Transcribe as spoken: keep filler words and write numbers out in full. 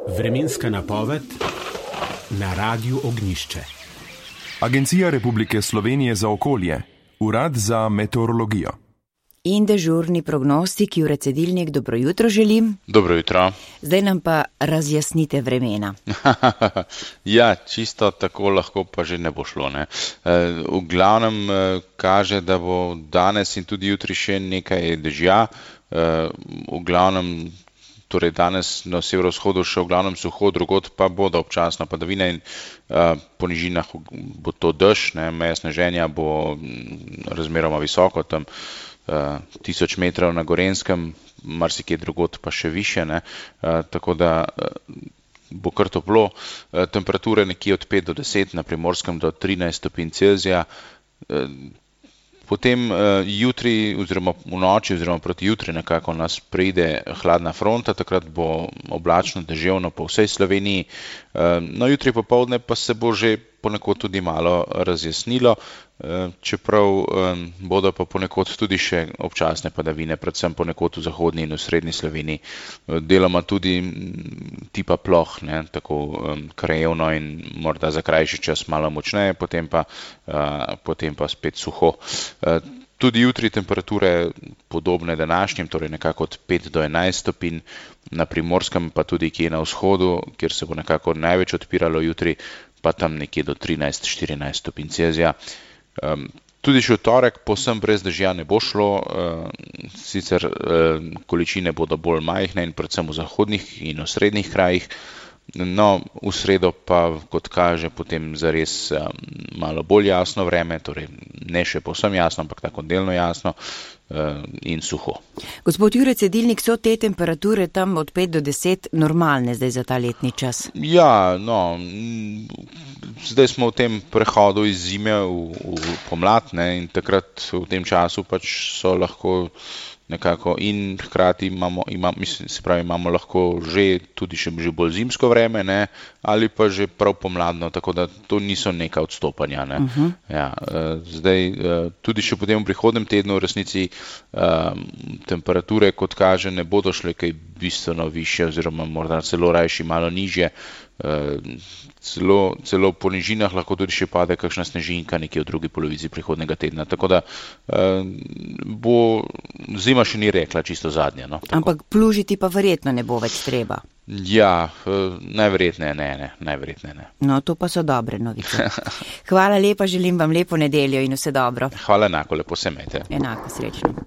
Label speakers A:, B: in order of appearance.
A: Vremenska napoved na Radiu Ognjišče.
B: Agencija Republike Slovenije za okolje, Urad za meteorologijo.
C: In dežurni prognostik Jure Cedilnik, dobro jutro želim.
D: Dobro jutro.
C: Zdaj nam pa razjasnite vremena.
D: Ja, čisto tako lahko pa že ne bo šlo. Ne? V glavnem kaže, da bo danes in tudi jutri še nekaj dežja. V glavnem, torej danes na severovzhodu še v glavnem suho, drugod pa bodo občasno padavine in po nižinah bo to dež, ne? Meja sneženja bo razmeroma visoko, tam tisoč metrov na Gorenjskem, marsikje drugod pa še više, ne? Tako da bo kar toplo, temperature nekje od pet do deset, na Primorskem do trinajst stopinj Celzija. Potem jutri oziroma v noči oziroma proti jutri nekako nas pride hladna fronta, takrat bo oblačno, deževno po vsej Sloveniji. No, jutri popoldne pa se bo že ponekod tudi malo razjasnilo, čeprav bodo pa ponekod tudi še občasne padavine, predvsem ponekod v zahodni in v srednji Sloveniji. Deloma tudi tipa ploh, ne, tako krajevno in morda za krajši čas malo močneje, potem pa, potem pa spet suho. Tudi jutri temperature podobne današnjim, torej nekako od pet do enajst stopinj, na Primorskem pa tudi kje na vzhodu, kjer se bo nekako največ odpiralo jutri, pa tam nekje do trinajst štirinajst stopinj Celzija. Tudi še v torek povsem brez dežja ne bo šlo, sicer količine bodo bolj majhne in predvsem v zahodnih in v srednjih krajih. No, v sredo pa, kot kaže, potem zares malo bolj jasno vreme, torej ne še povsem jasno, ampak tako delno jasno in suho.
C: Gospod Jure Cedilnik, so te temperature tam od pet do deset normalne zdaj za ta letni čas?
D: Ja, no, zdaj smo v tem prehodu iz zime v, v pomlad, ne, in takrat v tem času pač so lahko nekako in hkrati imamo, imam, mislim, se pravi, imamo lahko že tudi še že bolj zimsko vreme, ne, ali pa že prav pomladno, tako da to niso neka odstopanja, ne. Uh-huh. Ja, zdaj tudi še potem v prihodnem tednu v resnici temperature, kot kaže, ne bodo šle kaj bistveno više oziroma morda celo rajši malo nižje. Celo, celo po nižinah lahko tudi še pade kakšna snežinka nekje v drugi polovici prihodnega tedna, tako da bo zima še ni rekla čisto zadnja. No,
C: ampak plužiti pa verjetno ne bo več treba.
D: Ja, najverjetneje ne, ne, najverjetneje ne.
C: No, to pa so dobre novice. Hvala lepa, želim vam lepo nedeljo in vse dobro.
D: Hvala enako, lepo se imejte.
C: Enako, srečno.